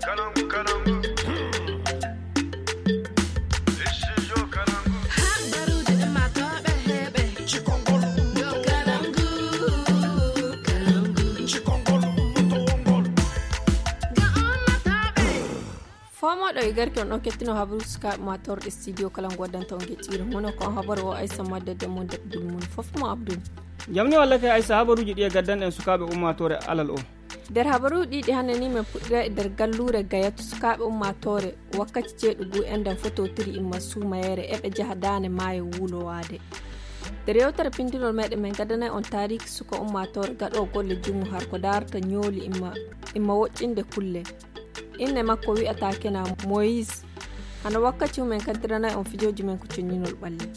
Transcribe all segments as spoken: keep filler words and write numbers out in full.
Fomooɗo e garki on ɗon kettino habaru sukaaɓe ma torɗe studio kala ngo waddanta on geɗɗiire mono ko on habaru o aysa madda de mon daɗɗugol mum fof mo abdul. Jamni walla kay aysa habaruuji ɗi e gaddan en sukaaɓe ummaatoore alal o. Nder habaruuji ɗiɗi hannde ni men puɗɗira e nder galluure gayatu sukaaɓe ummaatoore wakkati ceeɗugu enɗan fototiri imma suumayeere eɓe njaha daane maayo wuulowaade. Nder yewtere pinndinol meɗen men gaddanay on taariki suka ummaatoore gaɗo golle jumu har ko daarata ñooli imma imma woɗɗinde kulle. Inne makko wi'ata kena moyis. Hano wakkati men kaddiranay on fijooji men ko conñinol ɓalli.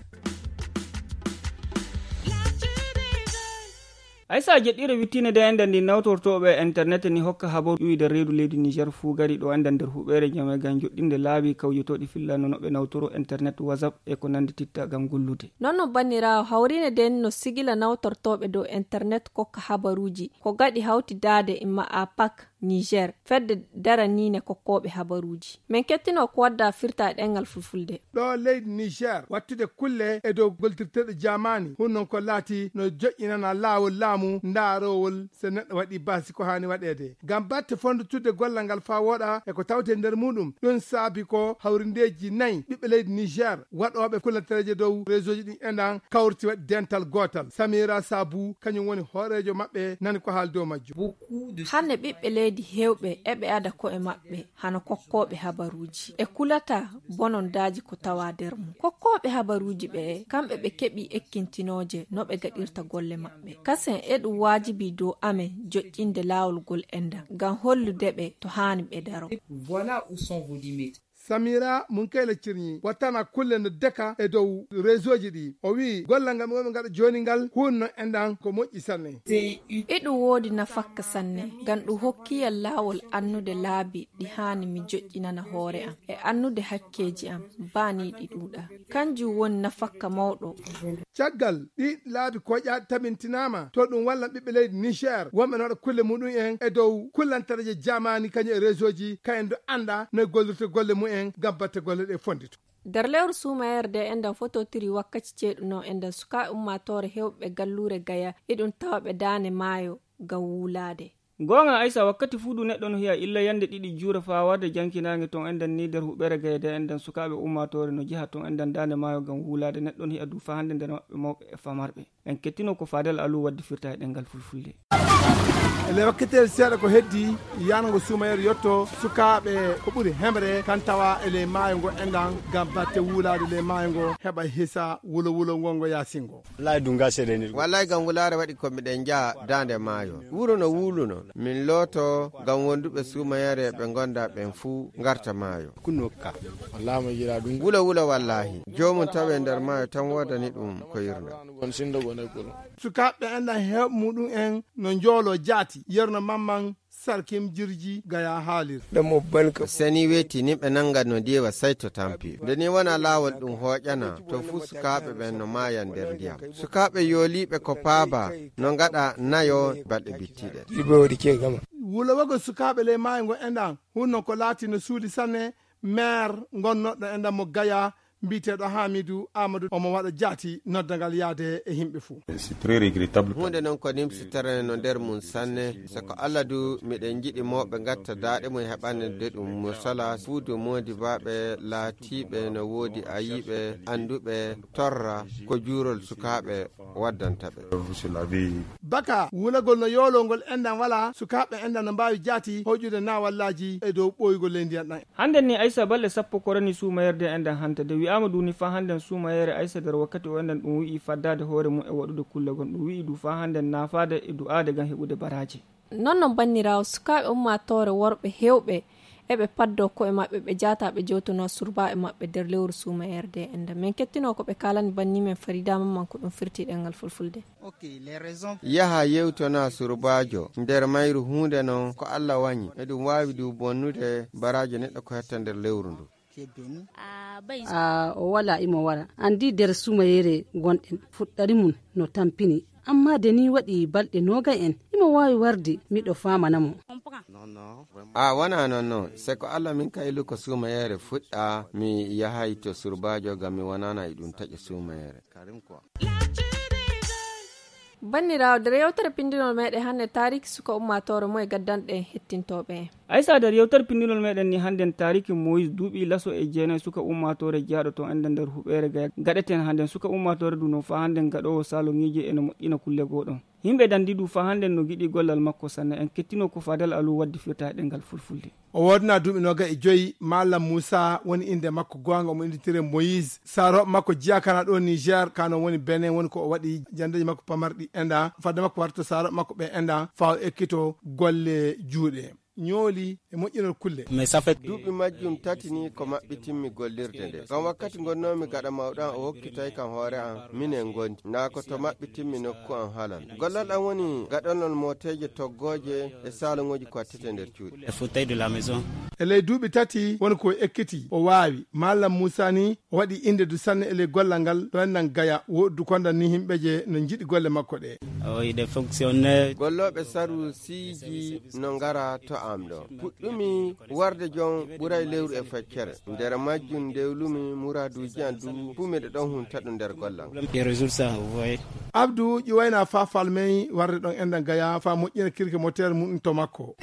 Aysa jeɗɗiire wittiinde de ende ndi nawtortooɓe internet ni hokka habaru iwide reedu leydi niger fuu gari ɗo ende nder huɓeere jame gam joɗɗinde laabi kawjotooɗi fillano no ɓe nawtoro internet whatsapp e ko nandi titta gam gollude. Non no banniraawo hawriine de no sigila nawtortooɓe dow internet kokka habaruuji ko gaɗi hawtidaade imma a pak niger fedde daraniine kokkooɓe habaruuji. Men kettino ko wadda firta e ɗengal fulfulde. Ɗo leydi niger wattude kulle e dow goltirteɗo jamaani hun non ko laati no joƴƴinana laawol laamu ndaarowol so neɗɗo waɗi basi ko haani waɗeede ngam batte fondutude gollal ngal faa wooɗa e ko tawte nder muɗum. Ɗum saabi ko hawrindeeji nayi ɓiɓɓe leydi niger waɗooɓe kulantareeje dow réseauji ɗin enɗan kawriti waɗi dental gootal. Samira sabu kañum woni hooreejo maɓɓe nani ko haali dow majjum. Hannde ɓiɓɓe leydi heewɓe eɓe ada ko'e maɓɓe hano kokkooɓe habaruuji e kulata bonondaaji ko tawa nder mum. Kokkooɓe habaruuji ɓe kamɓe ɓe keɓi ekkintinooje no ɓe gaɗirta golle maɓɓe. Kasen eɗum waajibi dow amen joƴƴinde laawol ngol enɗan ngam hollude ɓe to haani ɓe daro. Samira munkayla cirñi wattana kulle no deka e dow réseauji ɗi o wi gollal ngal ɓe wonɓe gaɗa joni ngal hunno enɗan ko moƴƴi sanne. Iɗum woodi nafakka sanne ngam ɗum hokkiyam laawol annude laabi ɗi haani mi joƴƴinana hoore am e annude hakkeeji am baa ni ɗi ɗuuɗa. Kanjum woni nafakka mawɗo. Caggal ɗi laabi koƴa tabintinaama to ɗum walla ɓiɓɓe leydi niger wonɓe no waɗa kulle muɗum en e dow kullantareeje jamaani kañum e réseauji kayen do annda no e gollirta golle mumen ngam batte golle ɗe fondito. Nder lewru suumayere de enɗan fototiri wakkati ceeɗuno enɗan sukaaɓe ummaatoore heewɓe galluure gaya iɗum tawa ɓe daane maayo ngam wuulaade. Goonga aysa wakkati fuu du neɗɗo no hiya illa yande ɗiɗi juura faa warde jankinaange ton enɗan ni nder huɓeere gaya de enɗan sukaaɓe ummaatoore no jeha ton enɗan daane maayo ngam wuulaade neɗɗo no hiya du faa hannde nder maɓɓe mawɓe e famarɓe. En kettino ko fadel alu waddi firta e ɗengal fulfulde. E le wakkitel seeɗa ko heddi yango suumayere yetto sukaaɓe ko ɓuri hemre kan tawa e ley maayo ngo enɗan ngam batte wuulaade ley maayo ngo heɓa hisa wulo wulo ngo ngo yaasingo. Wallahi gam wulaare waɗi ko miɗen njaha daande maayo wuro no wuuluno min looto ngam wonduɓe suumayere ɓe ngonda ɓen fuu ngarta maayo. Kunno ka wallahi mo yiɗa ɗum wula wula wallahi joomum tawe nder maayo tan woodani ɗum ko yirna. Sukaaɓe enɗan heeɓ muɗum en no njoolo jaati yerno mamman sarkim jirji gaya haalir. Seni weeti ni ɓe nanga no ndiwa sayto tampi nde ni wona laawol ɗum hooƴana to fuu sukaaɓe ɓen no maayan nder ndiyam. Sukaaɓe yooliiɓe ko paaba no ngaɗa nayo balɗe bittiɗe. Wulowogol sukaaɓe ley maayo ngo enɗan hunno ko laati no suuli sanne. Maire ngonnoɗo enɗan mo gaya mbiyeteeɗo hamidu amadou omo waɗa jaati noddangal yaade e yimɓe fuu. Huunde noon ko nimsitere no nder mum sanne. So ko allah du miɗen njiɗi mawɓe ngatta daaɗe mum heɓande ɗum mosala suudu moodibaaɓe laatiiɓe no woodi ayiiɓe annduɓe torra ko juurol sukaaɓe waddanta ɓe. Baka wulagol no yooloo ngol enɗan wala sukaaɓe enɗan no mbaawi jaati hoƴude naawallaaji e dow ɓooyugol ley ndiyan ɗan. Hannden ni aysa balɗe sappo ko rani suumayerde enɗan hanta de wi'aama duni faa hannden suumayere aysa nder wakkati o enɗan ɗum wi'i faddaade hoore mum e waɗude kulle gon ɗum wi'i du faa hannden naafaade e du'aade ngam heɓude baraaji. Non non banniraawo sukaaɓe ummaatoore worɓe heewɓe eɓe paddoo ko'e maɓɓe ɓe jaataa ɓe jewtonoo surbaaɓe maɓɓe nder lewru suumayerde enɗan min kettinoo ko ɓe kaalani banni men faridaa mamman ko ɗum firti ɗemngal fulfulde. Yaha yewtona surbaajo nder mayru huunde non ko allah wañi eɗum waawi du bonnude baraajo neɗɗo ko hetta nder lewru ndu. A o wala imo wara anndi nder suumayere gonɗen fuɗɗari mum no tampini. Amma de ni waɗi balɗe noogay en imo waawi warde miɗo faamana mo. A wona noon noon, se ko Allah min kaylu ko suumayeere fuɗɗa, mi yahay to surbaajo ngam mi wonana e ɗum taƴa suumayeere. Banniraawo, nder yewtere pinndinol meeɗen hannde, taariki suka ummaatoore moye gaddanɗen hettintooɓe en? Aysa, nder yewtere pinndinol meeɗen ni hannden, taariki Moyis duuɓi laso e jeenayi suka ummaatoore jeyaaɗo toon ende nder huɓeere Gaya gaɗeten hannden. Suka ummaatoore ndu noon faa hannden gaɗoowo saloŋiiji ene moƴƴina kulle goo ɗoon. Yimɓe danndi ndu faa hannden no ngiɗi gollal makko sanne. En kettino ko Fadel Alu waddi fiyotaaɗe ngal fulfulde. O woodna duuɓi noogay e joyi. Maalam Muusa woni innde makko goonga, omo innditiree Moyis. Saarooɓe makko jeyaa kana ɗo Niger, kano woni Benin, woni ko o waɗi janndeeji makko pamarɗi enda, fadde makko warta saarooɓe makko ɓe enda, faa o ekkito golle juuɗe, ñooli e moƴƴinol kulle. Duuɓi majjum tati ni ko maɓɓitinmi gollirde nde. Ngam wakkati ngonnoomi gaɗa mawɗo am, o hokkitay kam hoore am, minen ngondi. Naa ko to maɓɓitinmi nokku am halal. Gollal am woni gaɗanol mooteeje toggooje e saloŋooji ko wattete nder cuuɗi. E ley duuɓi tati woni ko o ekkiti, o waawi. Maalam Muusa ni, o waɗi innde du sanne e ley gollal ngal, ɗo en nan Gaya, woɗdu konda ni yimɓe je no njiɗi golle makko ɗe. Gollooɓe saru siiji no ngara to am ɗo. Puɗɗumi warde jom ɓuray lewru e feccere. Nder majjum ndewlumi muraaduuji am du, fuu miɗo ɗon hunta ɗum nder gollal. Abdu ƴuwayna faa falmey warde ɗon enda Gaya, faa moƴƴina kirke moteer mum to makko.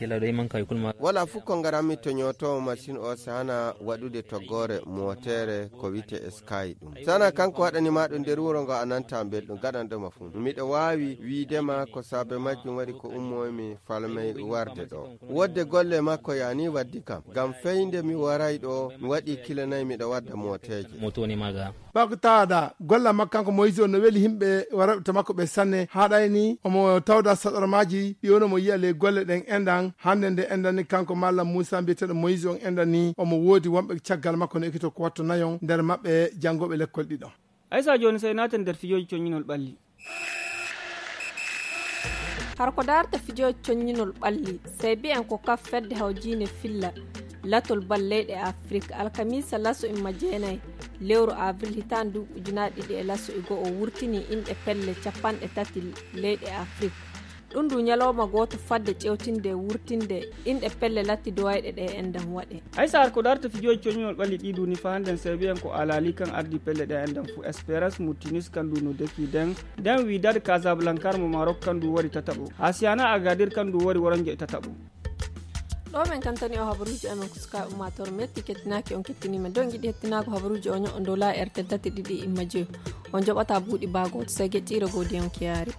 Wala fuu ko ngaranmi to ñootoowo masin o sana waɗude toggoore mootere ko wiyetee Sky ɗum. Sana kanko waɗani ma ɗum nder wuro ngo a nanta belɗum, gaɗanɗo ma fuu. Miɗo waawi wiide ma ko saabe majjum waɗi ko ummoymi falmey warde ɗo. Wodde golle makko yani waddi kam. Ngam fey nde mi waray ɗo, mi waɗi kile nayi miɗo wadda mooteeje. Moto woni maga. Bako tawada golla makko kanko Moyis on no weli yimɓe warooɓe to makko ɓe sanne, haa ɗayni omo tawda saɗormaaji ɗi woni mo yiya ley golle ɗen endan. Hannde nde endan ni kanko Maalam Muusa mbiyeteeɗo Moyis on endan ni omo woodi wonɓe caggal makko no ekkito ko watto nayon nder maɓɓe janngooɓe lekkol ɗiɗo. Aysa, jooni sey naaten nder fijooji coññinol ɓalli. Har ko daarta fijooji coññinol ɓalli, sey bi'en ko kaf fedde hawjiinde filla latol bal leyɗe Afrik, alkamiisa laso imma jeenayi lewru avril hitaande duuɓi ujunaaji ɗiɗi e laso e go'o wurtini inɗe pelle capanɗe tati leyɗe Afrik. Ɗum ndu ñalawma gooto fadde ƴeewtinde e wurtinde inɗe pelle latti duwayɗe ɗe enɗam waɗe. Aysa, har ko daarta fijooji coññinol ɓalli ɗi duuni faa hannden, sey bi'en ko Alali kan ardi pelle ɗe enɗam fuu, Esperas Mutinis kan ndu no deki den, nden Widad Casablanca mo Marok kan ndu wari tataɓo, Hasiana Agadir kan ndu wari woronjo e tataɓo. Ɗo men kantani o habaruuji amen ko suka ummaatoore metti kettinaaki on kettiniima. Nden ngiɗi hettinaago habaruuji o ño'o dola R T L tati ɗiɗi imma joyo. On joɓata buuɗi baa gooto, sey geƴƴiire godiyon kiyaari.